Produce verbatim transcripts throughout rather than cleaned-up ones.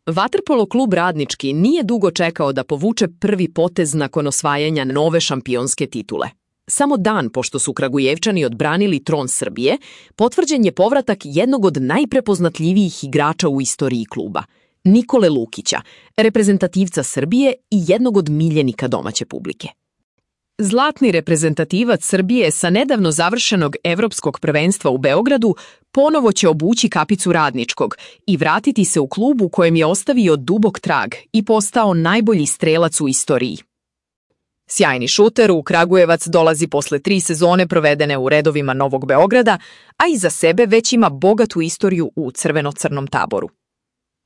Vaterpolo klub Radnički nije dugo čekao da povuče prvi potez nakon osvajanja nove šampionske titule. Samo dan pošto su Kragujevčani odbranili tron Srbije, potvrđen je povratak jednog od najprepoznatljivijih igrača u istoriji kluba, Nikole Lukića, reprezentativca Srbije i jednog od miljenika domaće publike. Zlatni reprezentativac Srbije sa nedavno završenog evropskog prvenstva u Beogradu ponovo će obući kapicu Radničkog i vratiti se u klub u kojem je ostavio dubok trag i postao najbolji strelac u istoriji. Sjajni šuter u Kragujevac dolazi posle tri sezone provedene u redovima Novog Beograda, a iza sebe već ima bogatu istoriju u crveno-crnom taboru.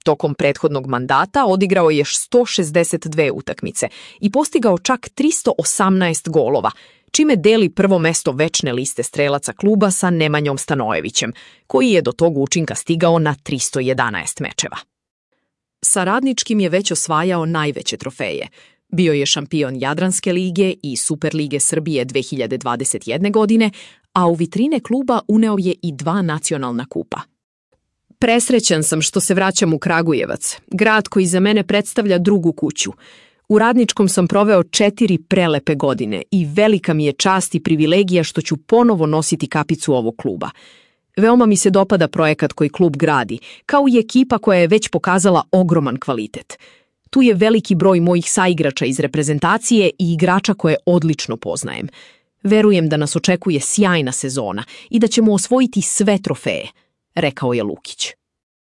Tokom prethodnog mandata odigrao je sto šezdeset dve utakmice i postigao čak tristo osamnaest golova, čime deli prvo mesto večne liste strelaca kluba sa Nemanjom Stanojevićem, koji je do tog učinka stigao na tristo jedanaest mečeva. Sa Radničkim je već osvajao najveće trofeje. Bio je šampion Jadranske lige i Superlige Srbije dve hiljade dvadeset jedne. godine, a u vitrine kluba uneo je i dva nacionalna kupa. Presrećan sam što se vraćam u Kragujevac, grad koji za mene predstavlja drugu kuću. U Radničkom sam proveo četiri prelepe godine i velika mi je čast i privilegija što ću ponovo nositi kapicu ovog kluba. Veoma mi se dopada projekat koji klub gradi, kao i ekipa koja je već pokazala ogroman kvalitet. Tu je veliki broj mojih saigrača iz reprezentacije i igrača koje odlično poznajem. Verujem da nas očekuje sjajna sezona i da ćemo osvojiti sve trofeje, rekao je Lukić.